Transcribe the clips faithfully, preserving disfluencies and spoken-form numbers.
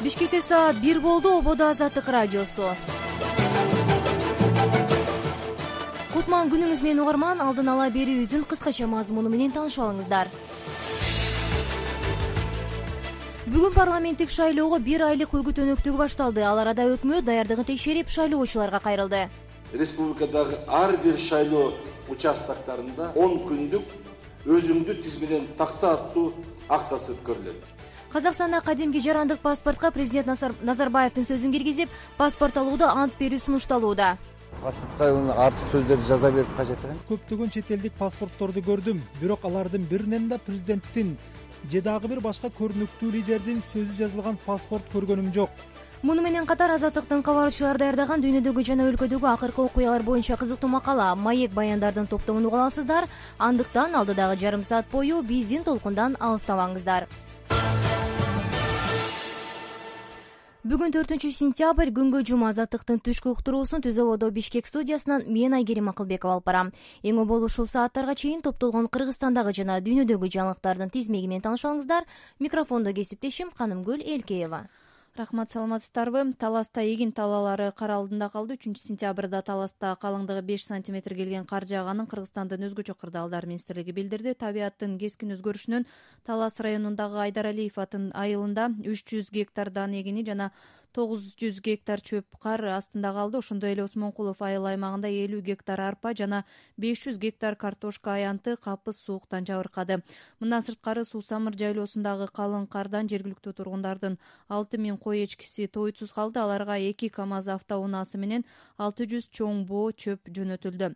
Бишкекте саат бир болду. Ободо Азаттык радиосу. Кутман күнүңүз менен угарман. Алдын ала берүүбүздүн кыскача мазмуну менен таанышып алыңыздар. Бүгүн парламенттик шайлоого бир айлык өгүт-өнөктүгү башталды. Ал арада өкмөт даярдыгын текшерип, шайлоочуларга кайрылды. Республикадагы ар бир шайлоо участоктарында он күндүк өзүңдү тиз менен такта аттуу акциясы өткөрүлөт. Казакстанда кадимки жарандык паспортко президент Назарбаевдин сөзүн киргизип, паспорт алууда ант берүү сунушталууда. Паспортко артык сөздөрдү жаза берип кажет экен. Көптөгөн чет элдик паспортторду көрдүм, бирок алардын биринен да президенттин же дагы бир башка көрүнүктүү лидердин сөзү жазылган паспорт көргөнүм жок. Муну менен катар Азаттыктын кабарчылары даярдаган дүйнөдөгү жана өлкөдөгү акыркы окуялар боюнча кызыктуу макала, маек баяндардын топтомун уга аласыздар. Андыктан алдыдагы жарым саат бою биздин толкундан алыстабаңыздар. Бүгүн төртүнчү сентябрь күнгө жума. Азаттыктын түшкү уктуруусун Түз Ободо Бишкек студиясынан мен Айгерим Акылбекова алып барам. Эң обол ушул сааттарга чейин топтолгон Кыргызстандагы жана дүйнөдөгү жаңылыктардын тизмеги менен таанышып алыңыздар. Микрофондо кесиптешим Канымгүл Элкеева. Рахмат, саламатсыздарбы? Таласта эгин талаалары кар алдында калды. үчүнчү сентябрда Таласта калыңдыгы беш сантиметр келген кар жааганын Кыргызстандын өзгөчө кырдаалдар министрлиги билдирди. Табияттын кескин өзгөрүшүнөн Талас районундагы Айдаралиев атын айылында үч жүз гектар дан эгини жана тогуз жүз гектар чөп кар астында калды. Ошондой эле Осмонкулов айыл аймагында элүү гектар арпа жана беш жүз гектар картошка аянты капыс сууктан жабыркады. Мындан сырткары Суу-Самыр жайлоосундагы калың кардан жергиликтүү тургундардын алты миң кой эчкиси тойтсуз калды. Аларга эки КАМАЗ автоунаасы менен алты жүз чоң боо чөп жөнөтүлдү.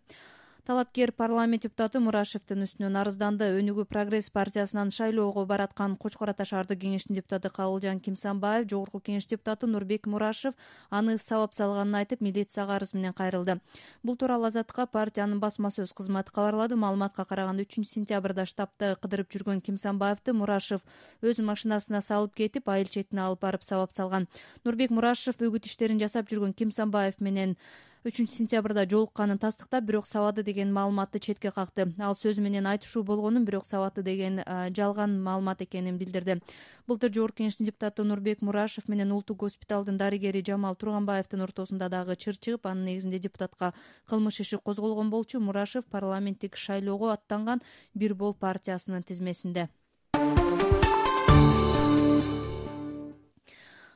Талапкер парламент депутаты Мурашевдин үстүнөн арызданды. Өнүгүү прогресс партиясынан шайлоого бараткан Кочкор Ата шаардык кеңештин депутаты Кабылжан Кимсанбаев, Жогорку кеңеш депутаты Нурбек Мурашев аны сабап салганын айтып, милицияга арыз менен кайрылды. Бул тууралуу Азаттыкка партиянын басма сөз кызматы кабарлады. Маалыматка караганда үчүнчү сентябрда штабты кыдырып жүргөн Кимсанбаевди Мурашев өз машинасына салып кетип, айыл четине алып барып сабап салган. Нурбек Мурашев өгүт иштерин жасап жүргөн Кимсанбаев менен үчүнчү сентябрда жолукканын тастыктап, бирок сабады деген маалыматты четке какты. Ал сөзү менен айтышуу болгонун, бирок сабаты деген жалган маалымат экенин билдирди. Былтыр Жогорку кеңештин депутаты Нурбек Мурашев менен улуттук госпиталдын дарыгери Жамал Турганбаевдин ортосунда дагы чыр чыгып, анын негизинде депутатка кылмыш иши козголгон болчу. Мурашев парламенттик шайлоого аттанган Бир Бол партиясынын тизмесинде.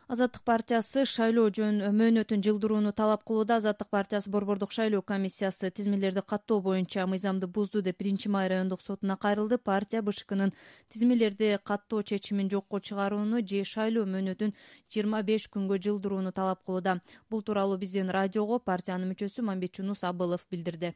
Азаттык партиясы шайлоо жөн мөөнөтүн жылдырууну талап кылууда. Азаттык партиясы Борбордук шайлоо комиссиясы тизмелерди каттоо боюнча мыйзамды бузду деп биринчи май райондук сотуна кайрылды. Партия БШКнын тизмелерди каттоо чечимин жокко чыгарууну же шайлоо мөөнөтүн жыйырма беш күнгө жылдырууну талап кылууда. Бул тууралуу биздин радиого партиянын мүчөсү Мамбетжунус Абылов билдирди.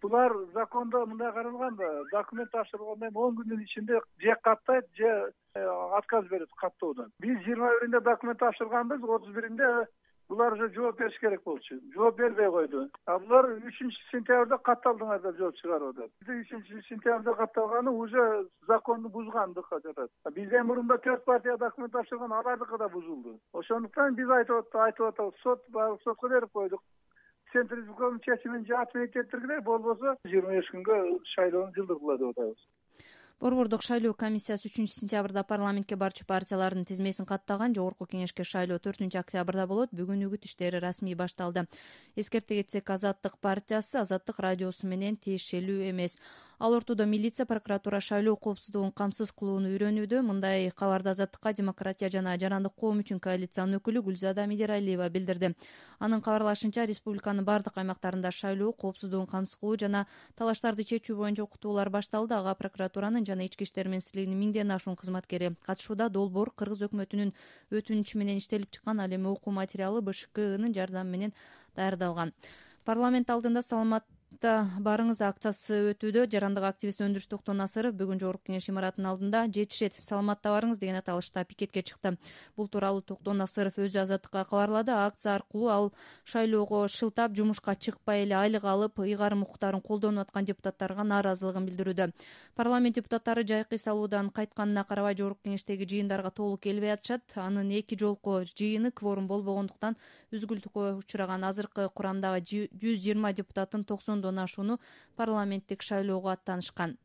Булар закондо мындай каралган, документ тапшырылгандан кийин он күндүн ичинде же каттайт, же отказ берет каттоодон. Биз жыйырма биринде документ тапшырганбыз, отуз биринде булар уже жооп бериш керек болчу. Жооп бербей койду. А булар үчүнчү сентябрда катталдыңар деп жооп чыгарып атат. үчүнчү сентябрда катталганы уже законду бузгандык жатат. Бизден мурунда төрт партия документ тапшырган, алардыкы да бузулду. Ошондуктан биз айтып айтып атабыз, сот баары сотко берип койдук. Централдын чечимин же отменить этиргиле, болбосо жыйырма беш күнгө шайлоону жылдыргыла деп атабыз. Борбордук шайлоо комиссиясы үчүнчү сентябрда парламентке барчу партиялардын тизмесин каттаган. Жогорку кеңешке шайлоо төртүнчү октябрда болот. Бүгүн үгүт иштери расмий башталды. Эскерте кетсек, Азаттык партиясы Азаттык радиосу менен тиешелүү эмес. Ал ортодо милиция, прокуратура шайлоо коопсуздугун камсыз кылууну үйрөнүүдө. Мындай кабарды Азаттыкка Демократия жана Жарандык коом үчүн коалициянын өкүлү Гүлзада Медералиева билдирди. Анын кабарлашынча, республиканын бардык аймактарында шайлоо коопсуздугун камсыз кылуу жана талаштарды чечүү боюнча окутуулар башталды. Ага прокуратуранын жана ички иштер министрлигинин миңден ашуун кызматкери катышууда. Долбоор Кыргыз өкмөтүнүн өтүнүчү менен иштелип чыккан. Ал эми окуу материалы БШКнын жардамы менен даярдалган. Парламент алдында саламат барыңыз акциясы өтүүдө. Жарандык активист Өндүрүш Токтон Насыров бүгүн Жогорку кеңеш имаратынын алдында жетишет, саламатта барыңыз деген аталышта пикетке чыкты. Бул тууралуу Токтон Насыров өзү Азаттыкка кабарлады. Акция аркылуу ал шайлоого шылтап, жумушка чыкпай эле айлык алып, ыйгарым укуктарын колдонуп аткан депутаттарга нааразылыгын билдирүүдө. Парламент депутаттары жайкы салуудан кайтканына карабай Жогорку кеңештеги жыйындарга толук келбей атышат. Анын эки жолку жыйыны кворум болбогондуктан үзгүлтүккө учураган. Азыркы курамдагы жүз жыйырма депутаттын токсондон ашууну парламенттик шайлоого аттанышкан.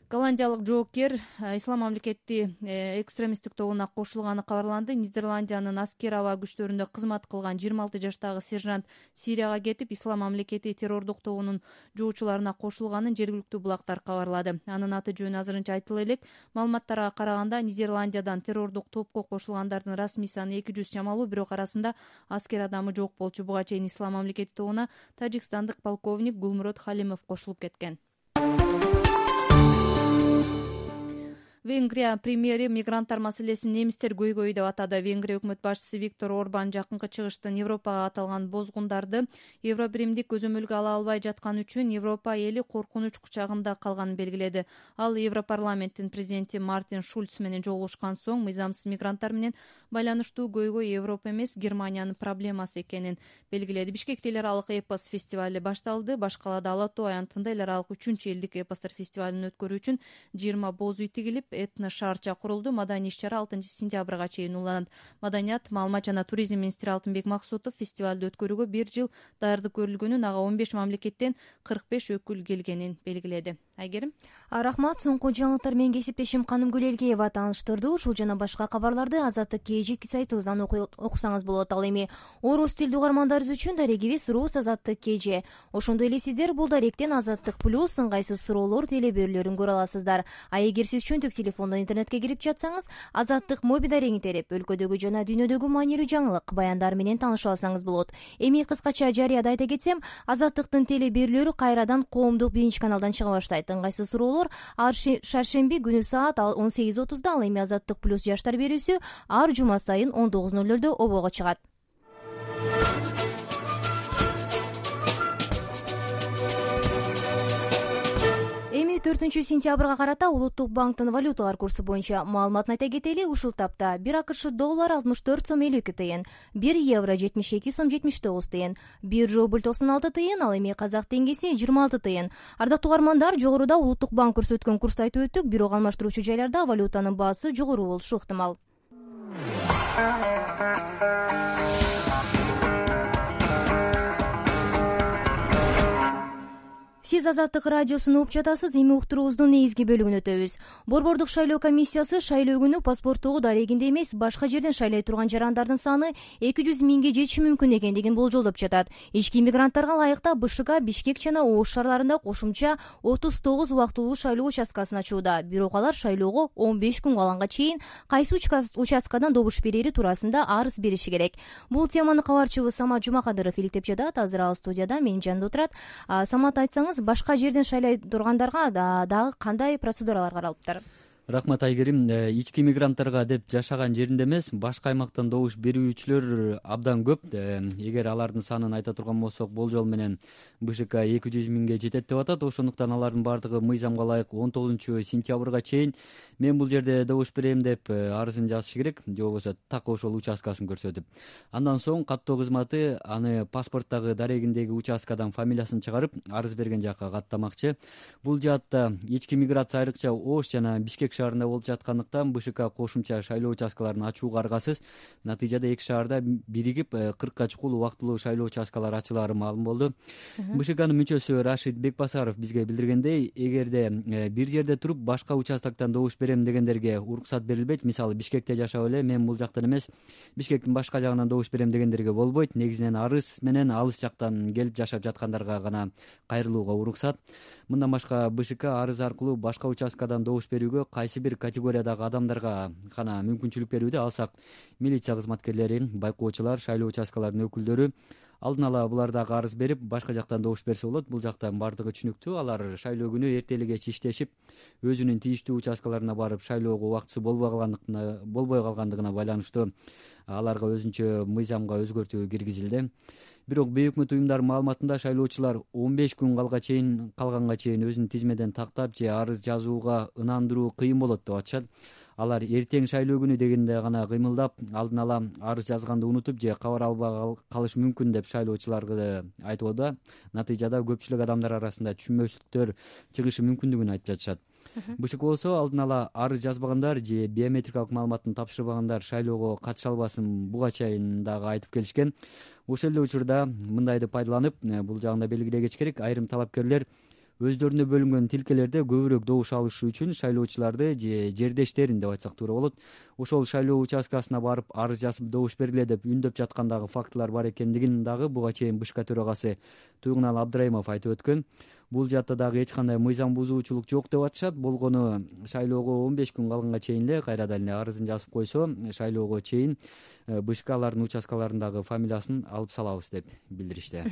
Голландиялык жоокер ислам мамлекети экстремисттик тобуна кошулганы кабарланды. Нидерландиянын аскер аба күчтөрүндө кызмат кылган жыйырма алты жаштагы сержант Сирияга кетип, ислам мамлекети террордук тобунун жоочуларына кошулганын жергиликтүү булактар кабарлады. Анын аты жөнү азырынча айтыла элек. Маалыматтарга караганда, Нидерландиядан террордук топко кошулгандардын расмий саны эки жүз чамалуу, бирок арасында аскер адамы жок болчу. Буга чейин ислам мамлекети тобуна тажикстандык полковник Гулмурод Халимов кошулуп кеткен. Венгрия премьери мигранттар маселесин немистер көйгөйү деп атады. Венгрия өкмөт башчысы Виктор Орбан жакынкы чыгыштын Европага аталган бозгундарды Евробиримдик көзөмөлгө ала албай жаткан үчүн Европа эли коркунуч кучагында калганын белгиледи. Ал Европарламенттин президенти Мартин Шульц менен жолугушкан соң мыйзамсыз мигранттар менен байланыштуу көйгөй Европа эмес, Германиянын проблемасы экенин белгиледи. Бишкекте эл аралык эпос фестивали башталды. Башкалада Ала Тоо аянтында эл аралык үчүнчү элдик эпостор фестивалын өткөрүү үчүн жыйырма боз үй тигилип, этно шаарча курулду. Маданий иш-чара алтынчы сентябрга чейин уланат. Маданият, маалымат жана туризм министри Алтынбек Максутов фестивалды өткөрүүгө бир жыл даярдык көрүлгөнүн, ага он беш мамлекеттен кырк беш өкүл келгенин белгиледи. Айгерим. Рахмат. Соңку жаңылыктар менен кесиптешим Каным Гүлелгеева тааныштырды. Ушул жана башка кабарларды Азаттык кежик сайтыбыздан окусаңыз болот. Ал эми орус тилдүү угармандарыбыз үчүн дарегибиз Рус Азаттык кеже. Ошондой эле сиздер бул даректен Азаттык плюс ыңгайсыз суроолор телеберүүлөрүн көрө аласыздар. А эгер сиз чөнтүк телефондон интернетке кирип жатсаңыз, Азаттык моби дарегин терип, өлкөдөгү жана дүйнөдөгү маанилүү жаңылык, баяндар менен тааныша алсаңыз болот. Эми кыскача жарыяда айта кетсем, Азаттыктын телеберүүлөрү кайрадан коомдук биринчи каналдан чыга баштайт. Ыңгайсыз суроолор ар шаршемби күнү саат он сегиз отузда, ал эми Азаттык плюс жаштар берүүсү ар жума сайын он тогуз ноль нольдо обого чыгат. Эми төртүнчү сентябрга карата Улуттук банктын валюталар курсу боюнча маалыматын айта кетели. Ушул тапта бир АКШ доллар алтымыш төрт сом элүү эки тыйын, бир евро жетимиш эки сом жетимиш тогуз тыйын, бир рубль токсон алты тыйын, ал эми казак теңгеси жыйырма алты тыйын. Ардактуу угармандар, жогоруда Улуттук банк көрсөткөн курсту айтып өттүк, бирок алмаштыруучу жайларда валютанын баасы жогору болушу ыктымал. Сиз Азаттык радиосун угуп жатасыз. Эми уктуруубуздун негизги бөлүгүнө өтөбүз. Борбордук шайлоо комиссиясы шайлоо күнү паспорттогу дарегинде эмес, башка жерден шайлай турган жарандардын саны эки жүз миңге жетиши мүмкүн экендигин болжолдоп жатат. Ички мигранттарга ылайыкта БШК Бишкек жана Ош шаарларында кошумча отуз тогуз убактылуу шайлоо участкасын ачууда. Бирок алар шайлоого он беш күн калганга чейин кайсы участкадан добуш берери туурасында арыз бериши керек. Бул теманы кабарчыбыз Самат Жумакадыров иликтеп жатат. Азыр ал студияда менин жанымда отурат. Самат, айтсаңыз, башка жерден шайлай тургандарга дагы кандай процедуралар каралыптыр? Рахмат, Айгерим. Ички мигранттарга деп жашаган жеринде эмес, башка аймактан добуш берүүчүлөр абдан көп. Эгер алардын санын айта турган болсок, болжол менен БШК эки жүз миңге жетет деп атат. Ошондуктан алардын бардыгы мыйзамга ылайык он тогузунчу сентябрга чейин мен бул жерде добуш берем деп арызын жазышы керек, же болбосо так ошол участкасын көрсөтүп. Андан соң каттоо кызматы аны паспорттагы дарегиндеги участкадан фамилиясын чыгарып, арыз берген жакка каттамакчы. Бул жаатта ички миграция айрыкча Ош жана Бишкек шаарында болуп жаткандыктан БШК кошумча шайлоо участкаларын ачууга аргасыз. Натыйжада эки шаарда биригип кыркка чукул убактылуу шайлоо участкалары ачылаары маалым болду. БШКнын мүчөсү Рашид Бекбасаров бизге билдиргендей, эгерде бир жерде туруп башка участоктон добуш берем дегендерге уруксат берилбейт. Мисалы, Бишкекте жашап эле мен бул жактан эмес, Бишкектин башка жагынан добуш берем дегендерге болбойт. Негизинен арыз менен алыс жактан келип жашап жаткандарга гана кайрылууга уруксат. Мындан башка БШК арыз аркылуу башка участкадан добуш берүүгө кайсы бир категориядагы адамдарга гана мүмкүнчүлүк берүүдө. Алсак, милиция кызматкерлери, байкоочулар, шайлоо участкаларынын өкүлдөрү алдын ала булар дагы арыз берип, башка жактан добуш берсе болот. Бул жактан бардыгы түшүнүктүү. Алар шайлоо күнү эртели кеч иштешип, өзүнүн тийиштүү участкаларына барып, шайлоого убактысы болбой калгандыгына болбой калгандыгына байланыштуу аларга өзүнчө мыйзамга өзгөртүү киргизилди. Бирок бейөкмөт уюмдар маалыматында шайлоочулар он беш күн калга чейин калганга чейин өзүн тизмеден тактап же арыз жазууга ынандыруу кыйын болот деп атышат. Алар эртең шайлоо күнү дегенде гана кыймылдап, алдын ала арыз жазганды унутуп же кабар албай калыш мүмкүн деп шайлоочуларга айтууда. Натыйжада көпчүлүк адамдар арасында түшүнбөстүктөр чыгышы мүмкүндүгүн айтып жатышат. БШК болсо алдын ала арыз жазбагандар же биометрикалык маалыматын тапшырбагандар шайлоого катыша албасын буга чейин дагы айтып келишкен. Ошол эле учурда мындайды пайдаланып, бул жагында белгилегеч керек, айрым талапкерлер өздөрүнө бөлүнгөн тилкелерде көбүрөөк добуш алышы үчүн шайлоочуларды же жердештерин деп айтсак туура болот, ошол шайлоо участкасына барып арыз жазып добуш бергиле деп үндөп жаткандагы фактылар бар экендигин дагы буга чейин БШК төрагасы Туйгунал Абдрайымов айтып өткөн. Бул жаатта дагы эч кандай мыйзам бузуучулук жок деп атышат. Болгону шайлоого он беш күн калганга чейин эле кайрадан эле арызын жазып койсо, шайлоого чейин БШКлардын участкаларындагы фамилиясын алып салабыз деп билдиришти.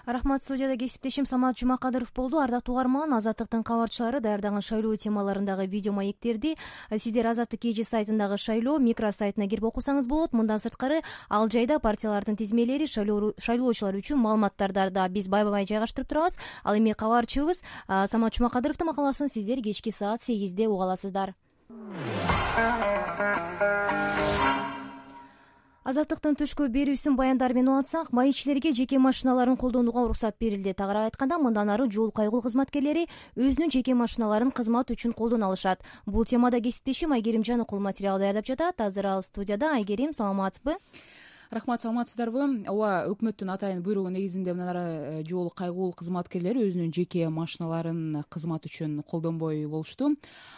Рахмат. Студияда кесиптешим Самат Жумакадыров болду. Ардактуу угарман, Азаттыктын кабарчылары даярдаган шайлоо темаларындагы видео маектерди сиздер Азаттык кей жи сайтындагы шайлоо микро сайтына кирип окусаңыз болот. Мындан сырткары ал жайда партиялардын тизмелери, шайлоочулар үчүн маалыматтарды да биз байбай жайгаштырып турабыз. Ал эми кабарчыбыз Самат Жумакадыровдун макаласын сиздер кечки саат сегизде уга аласыздар. Азаттыктын түшкү берүүсүн баяндар менен улантсак, маекчилерге жеке машиналарын колдонууга уруксат берилди. Тагыраак айтканда, мындан ары жол кайгыл кызматкерлери өзүнүн жеке машиналарын кызмат үчүн колдоно алышат. Бул темада кесиптешим Айгерим Жаныкул материал даярдап жатат. Азыр ал студияда. Айгерим, саламатсызбы? Рахмат, саламатсыздарбы? Ооба, өкмөттүн атайын буйругу негизинде мындан ары жол кайгыл кызматкерлери өзүнүн жеке машиналарын кызмат үчүн колдонбой болушту.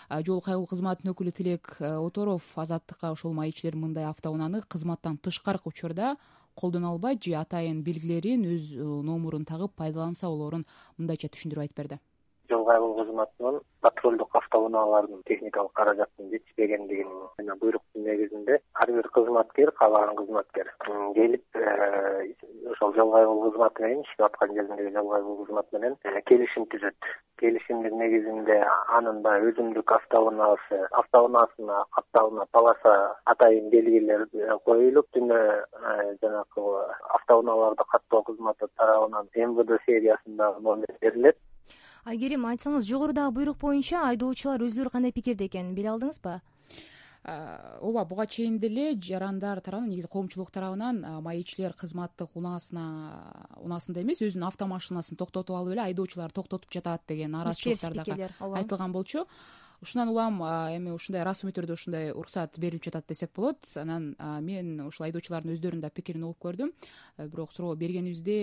Жол кайгыл кызматынын өкүлү Тилек Оторов Азаттыкка ошол маекчилер мындай автоунааны кызматтан тышкаркы учурда колдоно албайт же атайын белгилерин өз номурун тагып пайдаланса болоорун мындайча түшүндүрүп айтып берди. Жол кайгыл кызматынын патрулдук автоунаалардын техникалык каражатынын жетишпегендигин жана буйруктун негизинде ар бир кызматкер, каалаган кызматкер келип ошол жол кайгыл кызматы менен иштеп аткан жериндеги жол кайгыл кызмат менен келишим түзөт. Келишимдин негизинде анын баягы өзүндүк автоунаасы, автоунаасына капталына полоса атайын белгилер коюлуп, түнө жанагы автоунааларды каттоо кызматы тарабынан эм вэ дэ сериясындагы номер берилет. Айгерим, айтсаңыз, жогорудагы буйрук боюнча айдоочулар өздөрү кандай пикирде экенин биле алдыңызбы? Ооба, буга чейин деле жарандар тарабынан, негизи коомчулук тарабынан маекчилер кызматтык унаасына унаасында эмес, өзүнүн автомашинасын токтотуп алып эле айдоочулар токтотуп жатат деген нааразычылыктар дагы айтылган болчу. Ушундан улам эми ушундай расмий түрдө ушундай уруксат берилип жатат десек болот. Анан мен ушул айдоочулардын өздөрүнүн да пикирин угуп көрдүм. Бирок суроо бергенибизде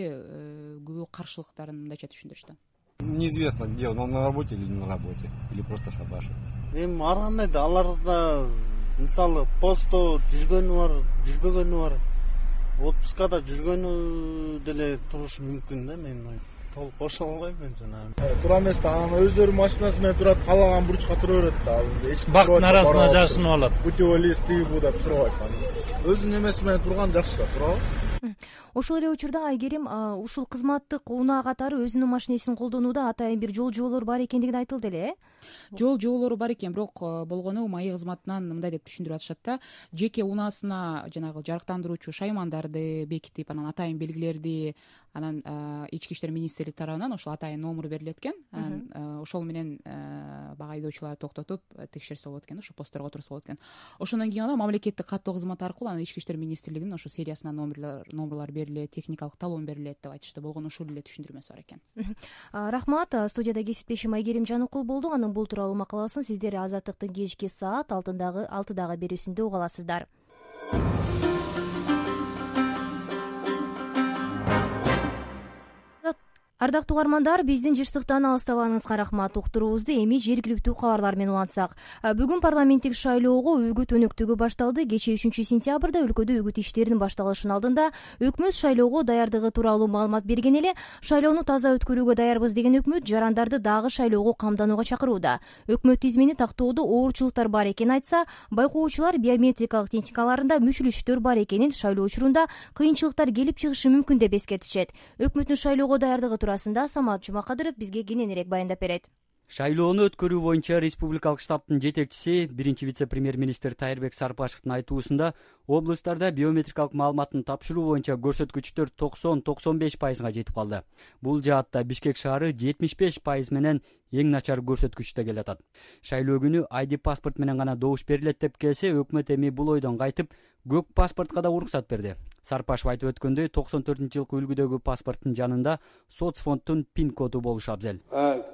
көбү каршылыктарын мындайча түшүндүрүштү. Неизвестно, где он, он на работе или не на работе, или просто шабашит. Эми ар кандай да аларда мисалы постто жүргөнү бар, жүрбөгөнү бар. Отпускада жүргөнү деле турушу мүмкүн да, мен толук кошо албайм мен жана. Тура эмес да, анан өздөрүнүн машинасы менен турат, каалаган бурчка тура берет да. Эч ким бактын арасына жашынып алат. Путевой лист бу деп сурабайт. Өзүнүн эмеси менен турган жакшы да, туурабы? Ошол эле учурда Айгерим ушул кызматтык унаа катары өзүнүн машинесин колдонууда атайын бир жол жоболор бар экендиги айтылды эле, э? Жол жоболору бар экен, бирок болгону маек кызматынан мындай деп түшүндүрүп атышат да. Жеке унаасына жанагы жарыктандыруучу шаймандарды бекитип, анан атайын белгилерди, анан ички иштер министрлиги тарабынан ошол атайын номер берилет экен. Ошол менен бага айдоочуларды токтотуп текшерсе болот экен, ошо постторго турса болот экен. Ошондон кийин ана мамлекеттик каттоо кызматы аркылуу анан ички иштер министрлигинин ошо сериясына номерлер номерлар берилет, техникалык талон берилет деп айтышты. Болгону ушул эле түшүндүрмөсү бар экен. Рахмат. Студияда кесиптешим Айгерим Жаныкул болду. Анын бул тууралуу макаласын сиздер Азаттыктын кечки саат алтыдагы алтыдагы берүүсүндө уга аласыздар. Ардактуу угармандар, биздин жыштыктан алыстабаңызга рахмат. Уктуруубузду эми жергиликтүү кабарлар менен улантсак. Бүгүн парламенттик шайлоого үгүт өнөктүгү башталды. Кечээ үчүнчү сентябрда өлкөдө үгүт иштеринин башталышынын алдында өкмөт шайлоого даярдыгы тууралуу маалымат берген эле. Шайлоону таза өткөрүүгө даярбыз деген өкмөт жарандарды дагы шайлоого камданууга чакырууда. Өкмөт тизмени тактоодо оорчулуктар бар экенин айтса, байкоочулар биометрикалык техникаларында мүчүлүштөр бар экенин, шайлоо учурунда кыйынчылыктар келип чыгышы мүмкүн деп эскертишет. Өкмөттүн шайлоого даярдыгы туурасында Самат Жумакадыров бизге кененирээк баяндап берет. Шайлоону өткөрүү боюнча республикалык штабтын жетекчиси, биринчи вице-премьер-министр Тайырбек Сарыпашевдин айтуусунда, облустарда биометрикалык маалыматтын тапшыруу боюнча көрсөткүчтөр токсон токсон беш пайызга жетип калды. Бул жаатта Бишкек шаары жетимиш беш пайыз менен эң начар көрсөткүчтө келатат. Шайлоо күнү ай ди паспорт менен гана добуш берилет деп келсе, өкмөт эми бул ойдон кайтып, көк паспортко да уруксат берди. Сарпашев айтып өткөндөй, токсон төртүнчү жылкы үлгүдөгү паспорттун жанында соцфонддун пин коду болушу абзел.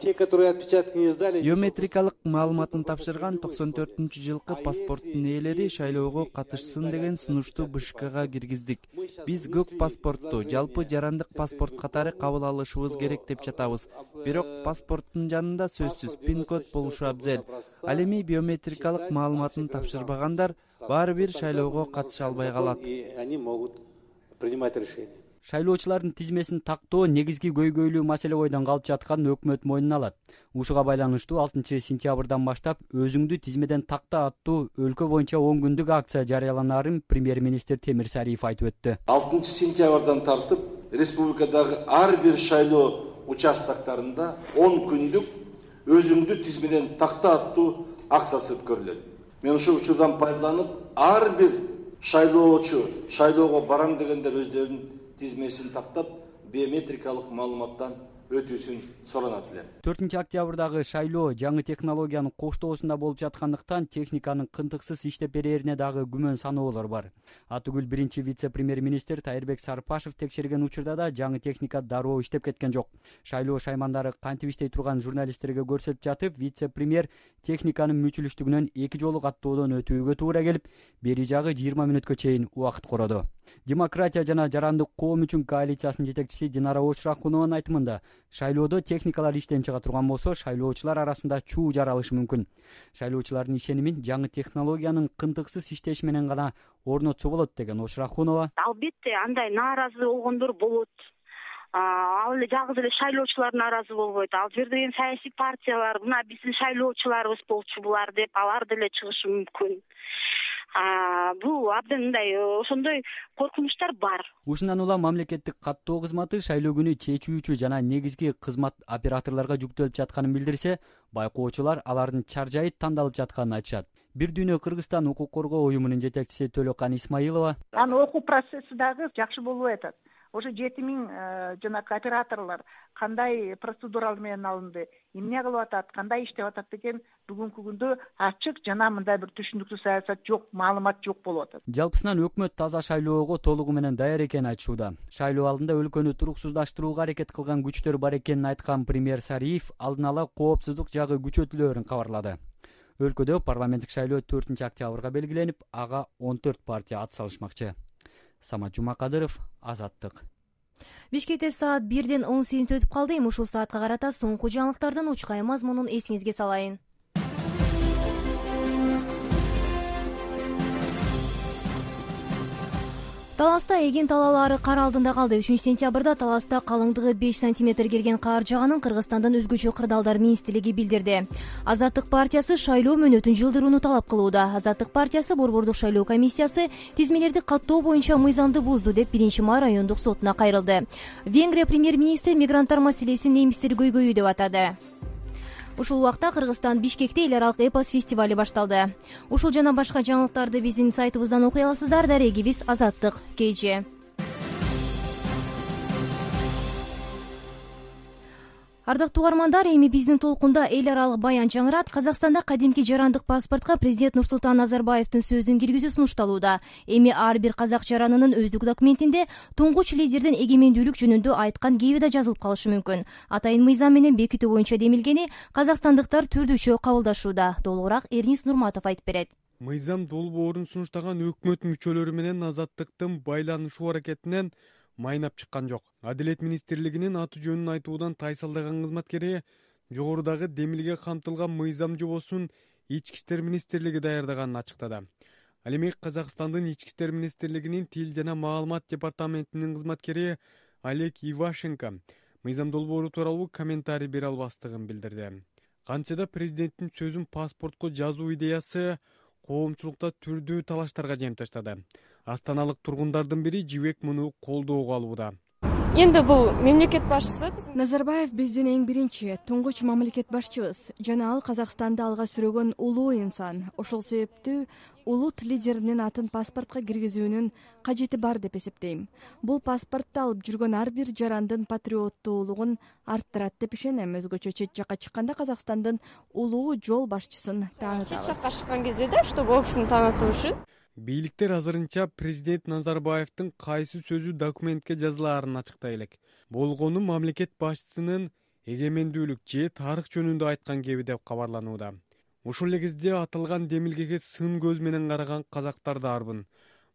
Те, которые отпечатки не сдали, биометрикалык маалыматын тапшырган токсон төртүнчү жылкы паспорттун ээлери шайлоого катышсын деген сунушту БШКга киргиздик. Биз көк паспортту жалпы жарандык паспорт катары кабыл алышыбыз керек деп жатабыз. Бирок паспорттун жанында сөзсүз пин код болушу абзел. Ал эми биометрикалык маалыматын тапшырбагандар баары бир шайлоого катыша албай калат. они могут принимать решение. Шайлоочулардын тизмесин тактоо негизги көйгөйлүү маселе бойдон калып жатканын өкмөт мойнуна алат. Ушуга байланыштуу алтынчы сентябрдан баштап өзүңдү тизмеден такта аттуу өлкө боюнча он күндүк акция жарыяланаарын премьер-министр Темир Сариев айтып өттү. алтынчы сентябрдан тартып республикадагы ар бир шайлоо участоктарында он күндүк өзүңдү тизмеден такта аттуу акциясы өткөрүлөт. Мен ушул учурдан пайдаланып, ар бир шайлоочу шайлоого барам дегендер өздөрүнүн тизмесин тактап, биометрикалык маалыматтан өтүүсүн суранат элем. төртүнчү октябрдагы шайлоо жаңы технологиянын коштоосунда болуп жаткандыктан техниканын кынтыксыз иштеп берерине дагы күмөн саноолор бар. Атүгүл биринчи вице-премьер-министр Тайырбек Сарпашев текшерген учурда да жаңы техника дароо иштеп кеткен жок. Шайлоо шаймандары кантип иштей турган журналисттерге көрсөтүп жатып, вице-премьер техниканын мүчүлүштүгүнөн эки жолу каттоодон өтүүгө туура келип, бери жагы жыйырма мүнөткө чейин убакыт кородо. Демократия жана жарандык коом үчүн коалициясынын жетекчиси Динара Очрахунованын айтымында, шайлоодо техникалар иштен чыга турган болсо, шайлоочулар арасында чуу жаралышы мүмкүн. Шайлоочулардын ишенимин жаңы технологиянын кынтыксыз иштеши менен гана орнотсо болот деген Очрахунова. Албетте андай нааразы болгондор болот. Ал эле жалгыз эле шайлоочулар нааразы болбойт. Ал жерде эми саясий партиялар, мына биздин шайлоочуларыбыз болчу булар деп, алар деле чыгышы мүмкүн. Бул абдан мындай ошондой коркунучтар бар. Ушундан улам мамлекеттик каттоо кызматы шайлоо күнү чечүүчү жана негизги кызмат операторлорго жүктөлүп жатканын билдирсе, байкоочулар алардын чаржайы тандалып жатканын айтышат. Бир дүйнө Кыргызстан укук коргоо уюмунун жетекчиси Төлөкан Исмаилова: Анын окуу процесси дагы жакшы болуп атат. Ошо жети миң жанагы операторлор кандай процедуралар менен алынды, эмне кылып атат, кандай иштеп атат деген бүгүнкү күндө ачык жана мындай бир түшүнүктүү саясат жок, маалымат жок болуп атат. Жалпысынан өкмөт таза шайлоого толугу менен даяр экенин айтышууда. Шайлоо алдында өлкөнү туруксуздаштырууга аракет кылган күчтөр бар экенин айткан премьер Сариев алдын ала коопсуздук жагы күчөтүлөөрүн кабарлады. Өлкөдө парламенттик шайлоо төртүнчү октябрга белгиленип, ага он төрт партия ат салышмакчы. Самат Жумакадыров, Азаттык. Бишкекте саат бирден он сегиз өтүп калды. Эми ушул саатка карата соңку жаңылыктардын учкай мазмунун эсиңизге салайын. Таласта эгин талаалары кар алдында калды. үчүнчү сентябрда Таласта калыңдыгы беш сантиметр келген кар жааганын Кыргызстандын өзгөчө кырдаалдар министрлиги билдирди. Азаттык партиясы шайлоо мөөнөтүн жылдырууну талап кылууда. Азаттык партиясы Борбордук шайлоо комиссиясы тизмелерди каттоо боюнча мыйзамды бузду деп биринчи май райондук сотуна кайрылды. Венгрия премьер-министри мигранттар маселесин немистер көйгөйү деп атады. Ушул убакта Кыргызстан Бишкекте эл аралык эпос фестивали башталды. Ушул жана башка жаңылыктарды биздин сайтыбыздан окуй аласыздар. Дарегибиз Азаттык кж. Ардактуу угармандар, эми биздин толкунда эл аралык баян жаңырат. Казакстанда кадимки жарандык паспортко президент Нурсултан Назарбаевдин сөзүн киргизүү сунушталууда. Эми ар бир казак жаранынын өздүк документинде туңгуч лидердин эгемендүүлүк жөнүндө айткан кеби да жазылып калышы мүмкүн. Атайын мыйзам менен бекитүү боюнча демилгени казакстандыктар түрдүчө кабылдашууда. Толугураак Эрнис Нурматов айтып берет. Мыйзам долбоорун сунуштаган өкмөт мүчөлөрү менен Азаттыктын байланышуу аракетинен майнап чыккан жок. Адилет министрлигинин аты жөнүн айтуудан тайсалдаган кызматкери жогорудагы демилге камтылган мыйзам жобосун Ички иштер министрлиги даярдаганын ачыктады. Ал эми Казакстандын Ички иштер министрлигинин тил жана маалымат департаментинин кызматкери Олег Ивашенко мыйзам долбоору тууралуу комментарий бере албастыгын билдирди. Кантсе да президенттин сөзүн паспортко жазуу идеясы коомчулукта түрдүү талаштарга жем таштады. Астаналык тургундардын бири Жибек муну колдоого алууда. Энд бул мамлекет башчысы Назарбаев биздин эң биринчи туңгуч мамлекет башчыбыз жана ал Казакстанды алга сүрөгөн улуу инсан. Ошол себептүү улут лидеринин атын паспортко киргизүүнүн кажети бар деп эсептейм. Бул паспортто алып жүргөн ар бир жарандын патриоттуулугун арттырат деп ишенем. Өзгөчө чет жакка чыкканда Казакстандын улуу жол башчысын таанытабыз. Чет жакка чыккан кезде да, чтобы ол кишини таанытуу үчүн Бийликтер азырынча президент Назарбаевдин кайсы сөзү документке жазылаарын ачыктай элек. Болгону мамлекет башчысынын эгемендүүлүк же тарых жөнүндө айткан кеби деп кабарланууда. Ушул эле кезде аталган демилгеге сын көз менен караган казактар да арбын.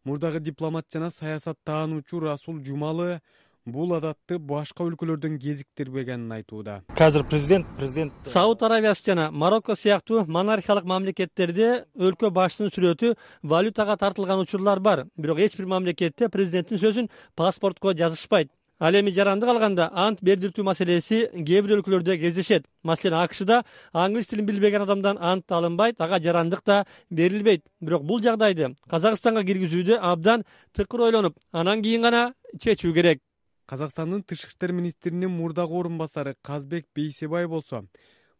Мурдагы дипломат жана саясат таануучу Расул Жумалы бул адатты башка өлкөлөрдөн кезиктирбегенин айтууда. Азыр президент президент Сауд Арабиясы жана Марокко сыяктуу монархиялык мамлекеттерде өлкө башчысынын сүрөтү валютага тартылган учурлар бар. Бирок эч бир мамлекетте президенттин сөзүн паспортко жазышпайт. Ал эми жарандык алганда ант бердиртүү маселеси кээ бир өлкөлөрдө кездешет. Маселен, АКШда англис тилин билбеген адамдан ант алынбайт, ага жарандык да берилбейт. Бирок бул жагдайды Казакстанга киргизүүдө абдан тыкыр ойлонуп, анан кийин гана чечүү керек. Казакстандын тышкы иштер министринин мурдагы орун басары Казбек Бейсебай болсо,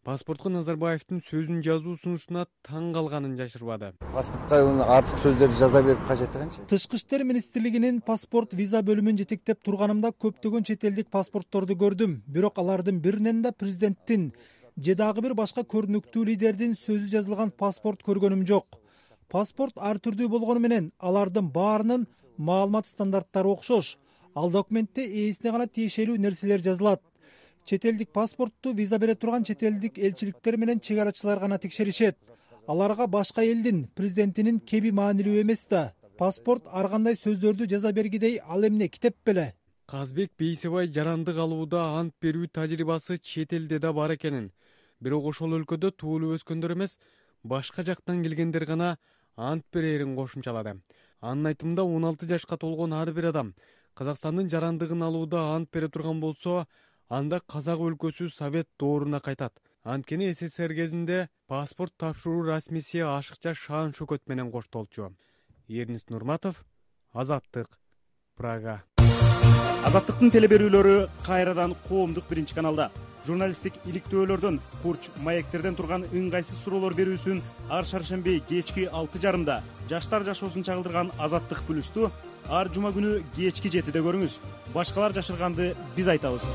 паспортко Назарбаевдин сөзүн жазуу сунушуна таң калганын жашырбады. Паспортко артык сөздөрдү жаза берип кажеттигенчи? Тышкы иштер министрлигинин паспорт виза бөлүмүн жетектеп турганымда көптөгөн чет элдик паспортторду көрдүм. Бирок алардын биринен да президенттин же дагы бир башка көрүнүктүү лидердин сөзү жазылган паспорт көргөнүм жок. Паспорт ар түрдүү болгону менен алардын баарынын маалымат стандарттары окшош. Ал документте ээсине гана тиешелүү нерселер жазылат. Чет элдик паспортту виза бере турган чет элдик элчиликтер менен чек арачылар гана текшеришет. Аларга башка элдин президентинин кеби маанилүү эмес да. Паспорт ар кандай сөздөрдү жаза бергидей ал эмне китеп беле. Казбек Бейсебай жарандык алууда ант берүү тажрыйбасы чет элде да бар экенин, бирок ошол өлкөдө туулуп өскөндөр эмес, башка жактан келгендер гана ант берерин кошумчалады. Анын айтымында он алты жашка толгон ар бир адам Казакстандын жарандыгын алууда ант бере турган болсо, анда казак өлкөсү Совет дооруна кайтат. Анткени СССР кезинде паспорт тапшыруу расмиси ашыкча шаан шөкөт менен коштолчу. Эрнис Нурматов, Азаттык, Прага. Азаттыктын телеберүүлөрү кайрадан коомдук биринчи каналда. Журналисттик иликтөөлөрдөн, курч маектерден турган ыңгайсыз суроолор берүүсүн ар шаршемби кечки алты жарымда жаштар жашоосун чагылдырган Азаттык плюсту ар жума күнү кечки жетиде көрүңүз. Башкалар жашырганды биз айтабыз.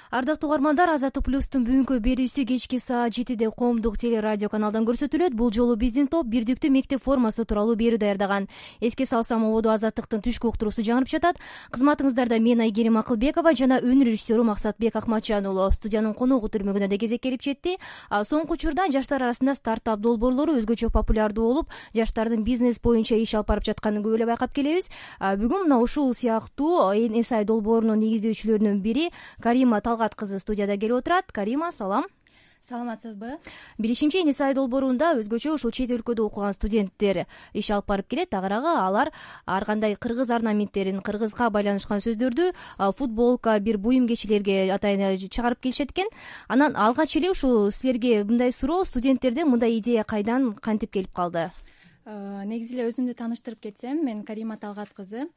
Ардактуу угармандар, Азаттык плюстун бүгүнкү берүүсү кечки саат жетиде коомдук телерадио каналдан көрсөтүлөт. Бул жолу биздин топ бирдиктүү мектеп формасы тууралуу берүү даярдаган. Эске салсам, ободо Азаттыктын түшкү уктуруусу жаңырып жатат. Кызматыңыздарда мен Айгерим Акылбекова жана өнөр режиссеру Максатбек Акматжан уулу. Студиянын коногу түрмөгүнө да кезек келип жетти. Соңку учурда жаштар арасында стартап долбоорлору өзгөчө популярдуу болуп, жаштардын бизнес боюнча иш алып барып жатканын көп эле байкап келебиз. Бүгүн мына ушул сыяктуу эс ай долбоорунун негиздөөчүлөрүнүн бири Карима кызы студияда келип отурат. Карима, салам. Саламатсызбы? Билишимче, эс ай долбоорунда өзгөчө ушул чет өлкөдө окуган студенттер иш алып барып келет. Агыраагы алар ар кандай кыргыз орнаменттерин, кыргызга байланышкан сөздөрдү футболка, бир буюм кечилерге атайын чыгарып келишет экен. Анан алгач эле ушул силерге мындай суроо, студенттерде мындай идея кайдан, кантип келип калды? Негизи эле өзүмдү тааныштырып кетсем, мен Карима Талгат кызы.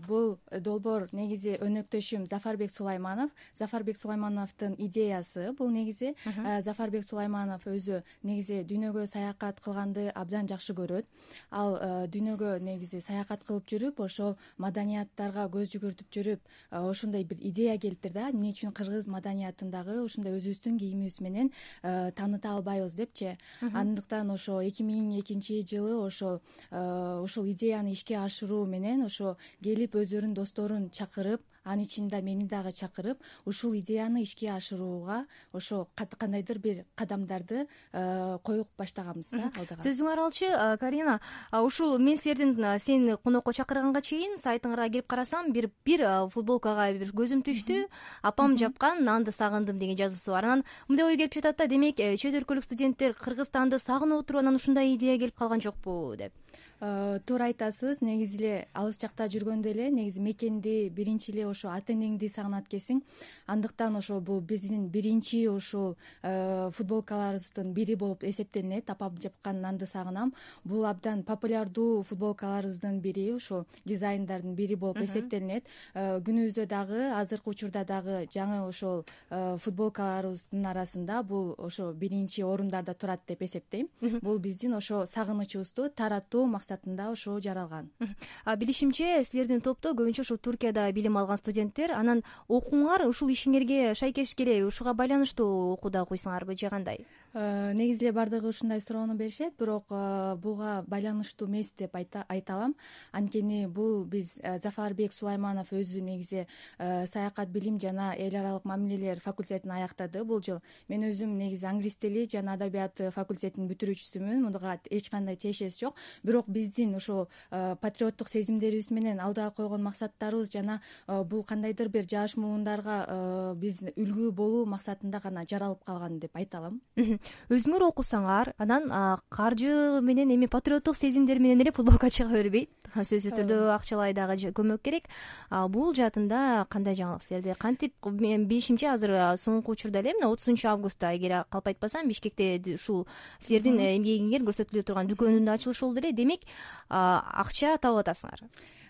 Бул долбоор негизи өнөктөшүм Зафарбек Сулайманов. Зафарбек Сулаймановдун идеясы бул негизи. Зафарбек Сулайманов өзү негизи дүйнөгө саякат кылганды абдан жакшы көрөт. Ал дүйнөгө негизи саякат кылып жүрүп, ошол маданияттарга көз жүгүртүп жүрүп, ошондой бир идея келиптир да, эмне үчүн кыргыз маданиятындагы ушундай өзүбүздүн кийимибиз менен тааныта албайбыз депчи. Андыктан ошо эки миң экинчи жылы ошол ушул идеяны ишке ашыруу менен ошо келип өздөрүнүн досторун чакырып, анын ичинде мени дагы чакырып, ушул идеяны ишке ашырууга ошо кандайдыр бир кадамдарды коюп баштаганбыз да алдыга. Сөзүңөр алчы, Карина, ушул мен силердин сени конокко чакырганга чейин сайтыңарга кирип карасам, бир бир футболкага бир көзүм түштү. Апам жапкан нанды сагындым деген жазуусу бар. Анан мындай ой келип жатат да, демек чет өлкөлүк студенттер Кыргызстанды сагынып отуруп, анан ушундай идея келип калган жокпу деп. Туура айтасыз. Негизи эле алыс жакта жүргөндө эле негизи мекенди, биринчи эле ошо ата энеңди сагынат экенсиң. Андыктан ошо бул биздин биринчи ушул футболкаларыбыздын бири болуп эсептелинет. Апам жапкан нанды сагынам. Бул абдан популярдуу футболкаларыбыздын бири, ушул дизайндардын бири болуп эсептелинет. Күнүбүздө дагы, азыркы учурда дагы жаңы ошол футболкаларыбыздын арасында бул ошо биринчи орундарда турат деп эсептейм. Бул биздин ошо сагынычыбызды таратуу максатында ошо жаралган. Билишимче, силердин топто көбүнчө ушул Туркияда билим алган студенттер. Анан окууңар ушул ишиңерге шайкеш келеби? Ушуга байланыштуу окууда окуйсуңарбы же кандай? негизи эле баардыгы ушундай суроону беришет, бирок буга байланыштуу эмес деп айта алам. Анткени бул биз Зафарбек Сулайманов өзү негизи саякат билим жана эл аралык мамилелер факультетин аяктады бул жыл. Мен өзүм негизи англис тили жана адабияты факультетинин бүтүрүүчүсүмүн. Мунга эч кандай тиешеси жок. Бирок биздин ошо патриоттук сезимдерибиз менен алдыга койгон максаттарыбыз жана бул кандайдыр бир жаш муундарга биз үлгү болуу максатында гана жаралып калган деп айта алам. Өзүңөр окусаңар, анан каржы менен эми патриоттук сезимдер менен эле футболко чыга бербейт. Сөзсүз түрдө акчалай дагы көмөк керек. Бул жаатында кандай жаңылык силерде? Кантип мен билишимче азыр соңку учурда эле мына отузунчу августта, эгер калп айтпасам, Бишкекте ушул силердин эмгегиңер көрсөтүлүп турган дүкөнүнүн да ачылышы болду эле. Демек, акча таап атасыңар.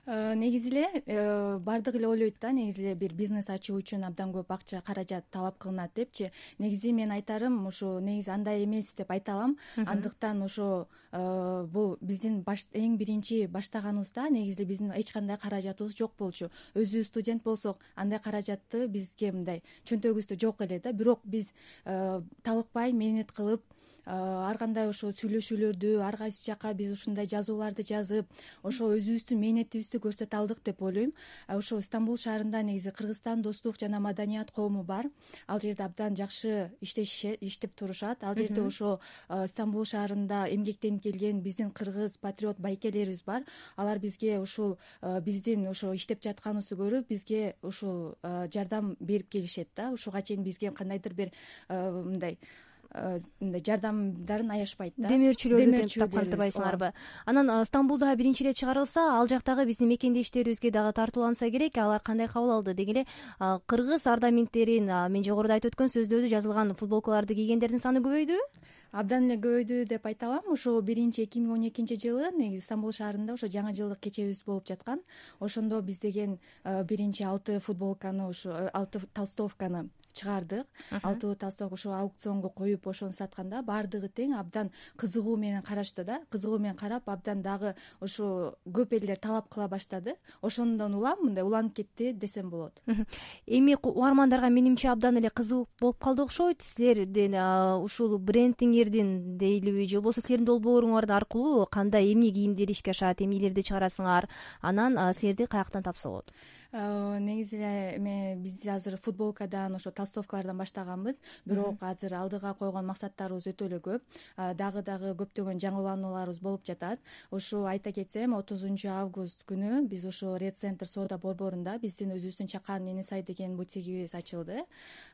Негизи эле баардыгы эле ойлойт да, негизи эле бир бизнес ачуу үчүн абдан көп акча, каражат талап кылынат депчи. Негизи мен айтарым, ошо негизи андай эмес деп айта алам. Андыктан ошо бул биздин эң биринчи баштаганыбызда негизи эле биздин эч кандай каражатыбыз жок болчу. Өзүбүз студент болсок, андай каражатты бизге мындай чөнтөгүбүздө жок эле да. Бирок биз талыкпай менет кылып, ар кандай ошо сүйлөшүүлөрдү ар кайсы жака биз ушундай жазууларды жазып, ошо өзүбүздүн мээнетибизди көрсөтө алдык деп ойлойм. Ошо Стамбул шаарында негизи Кыргызстан достук жана маданият коому бар. Ал жерде абдан жакшы иштешишет, иштеп турушат. Ал жерде ошо Стамбул шаарында эмгектенип келген биздин кыргыз патриот байкелерибиз бар. Алар бизге ушул биздин ошо иштеп жатканыбызды көрүп, бизге ушул жардам берип келишет да. Ушуга чейин бизге кандайдыр бир мындай мындай жардамдарын аябайт да. Демөөрчүлөрдү тапкан атабайсыңарбы? Анан Стамбулда биринчи эле чыгарылса, ал жактагы биздин мекендештерибизге дагы тартууланса керек, алар кандай кабыл алды деги эле кыргыз ардаменттерин, мен жогоруда айтып өткөн сөздөрдү жазылган футболкаларды кийгендердин саны көбөйдүбү? Абдан эле көбөйдү деп айта алам. Ошо биринчи эки миң он экинчи жылы негизи Стамбул шаарында ошо жаңы жылдык кечебиз болуп жаткан. Ошондо биз деген биринчи алты футболканы, ошо алты толстовканы чыгардык. Алты толстовка ошо аукционго коюп, ошону сатканда баардыгы тең абдан кызыгуу менен карашты да. Кызыгуу менен карап, абдан дагы ошо көп элдер талап кыла баштады. Ошондон улам мындай уланып кетти десем болот. Эми угармандарга менимче абдан эле кызык болуп калды окшойт. Силердин ушул брендиңердин дейлиби же болбосо силердин долбооруңар аркылуу кандай эмне кийимдер ишке ашат, эмнелерди чыгарасыңар? Анан силерди каяктан тапса болот? Негизи эле эме биз азыр футболкадан, ошо толстовкалардан баштаганбыз, бирок азыр алдыга койгон максаттарыбыз өтө эле көп. Дагы дагы көптөгөн жаңыланууларыбыз болуп жатат. Ошо айта кетсем, отузунчу август күнү биз ошо Ред Центр соода борборунда биздин өзүбүздүн Чакан Эне Сай деген бутигибиз ачылды.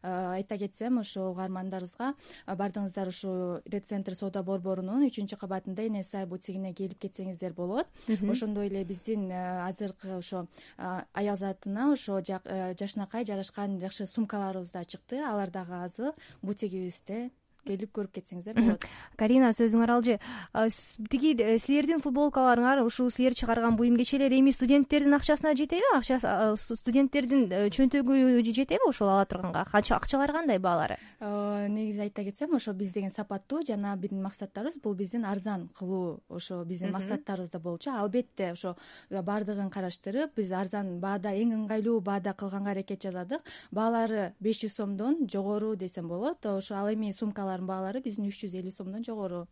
Айта кетсем, ошо угармандарыбызга бардыңыздар ошо Ред Центр соода борборунун үчүнчү кабатында Эне Сай бутигине келип кетсеңиздер болот. Ошондой эле биздин азыркы ошо аял затына ошо жашынакай жарашкан жакшы сумкаларыбыз да чыкты. Алар дагы азыр бутигибизде келип көрүп кетсеңиздер болот. Карина, сөзүңөр алжы. Тиги силердин футболкаларыңар ушул силер чыгарган буюм кечелер эми студенттердин акчасына жетеби? Акча студенттердин чөнтөгү жетеби ошол ала турганга? Акчалары кандай баалары? Негизи айта кетсем, ошо биз деген сапаттуу жана биздин максаттарыбыз бул биздин арзан кылуу, ошо биздин максаттарыбыз да болчу. Албетте ошо баардыгын караштырып, биз арзан баада, эң ыңгайлуу баада кылганга аракет жасадык. Баалары беш жүз сомдон жогору десем болот. Ошо ал эми сумкалар баалары биздин үч жүз элүү сомдон жогору.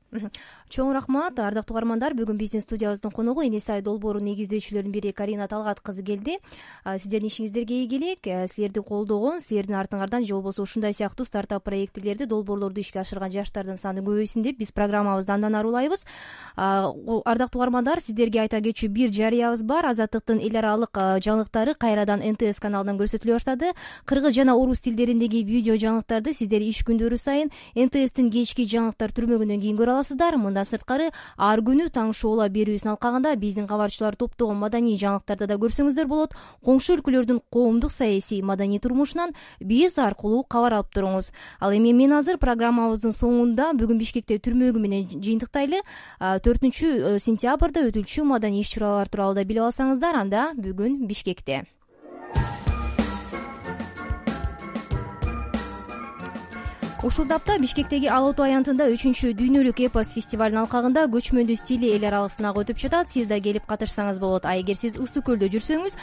Чоң рахмат, ардактуу угармандар. Бүгүн биздин студиябыздын коногу Эне Сай долбоорунун негиздөөчүлөрүнүн бири Карина Талгат кызы келди. Сиздердин ишиңиздерге ийгилик, силерди колдогон, силердин артыңардан же болбосо ушундай сыяктуу стартап проектлерди, долбоорлорду ишке ашырган жаштардын саны көбөйсүн деп биз программабызды андан ары улайбыз. Ардактуу угармандар, сиздерге айта кетчү бир жарыябыз бар. Азаттыктын эл аралык жаңылыктары кайрадан Эн Тэ Эс каналынан көрсөтүлө баштады. Кыргыз жана орус тилдериндеги видео жаңылыктарды сиздер иш күндөрү сайын Эн Тэ Эстин кечки жаңылыктар түрмөгүнөн кийин көрө аласыздар. Мындан сырткары ар күнү таң шоула берүүсүн алкагында биздин кабарчылар топтогон маданий жаңылыктарды да көрсөңүздөр болот. Коңшу өлкөлөрдүн коомдук, саясий, маданий турмушунан биз аркылуу кабар алып туруңуз. Ал эми мен азыр программабыздын соңунда бүгүн Бишкекте түрмөгү менен жыйынтыктайлы. төртүнчү сентябрда өтүлчү маданий иш-чаралар тууралуу да билип алсаңыздар, анда бүгүн Ушул тапта Бишкектеги Ала Оту аянтында үчүнчү дүйнөлүк эпос фестивалынын алкагында көчмөндүү стили эл аралык сынак өтүп жатат. Сиз да келип катышсаңыз болот. А эгер сиз Ысык көлдө жүрсөңүз,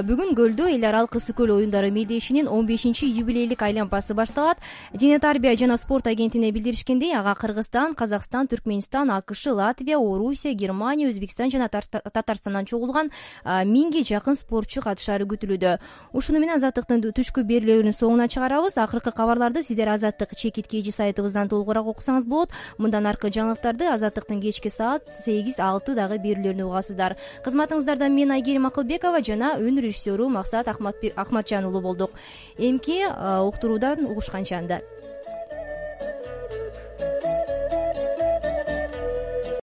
бүгүн көлдө эл аралык Ысык көл оюндары мелдешинин он бешинчи юбилейлик айланпасы башталат. Дене тарбия жана спорт агенттигине билдиришкендей, ага Кыргызстан, Казакстан, Түркмөнстан, АКШ, Латвия, Орусия, Германия, Өзбекстан жана Татарстандан чогулган миңге жакын спортчу катышары күтүлүүдө. Ушуну менен Азаттыктын түшкү берүүлөрүнүн соңуна чыгарабыз. Акыркы кабарларды сиздер Азаттык кечи сайтыбыздан толугураак окусаңыз болот. Мындан аркы жаңылыктарды Азаттыктын кечки саат сегиз алты дагы берүүлөрүнө угасыздар. Кызматыңыздарда мен Айгерим Акылбекова жана өнөр режиссеру Максат Ахматжан уулу болдук. Эмки уктуруудан угушканча анда.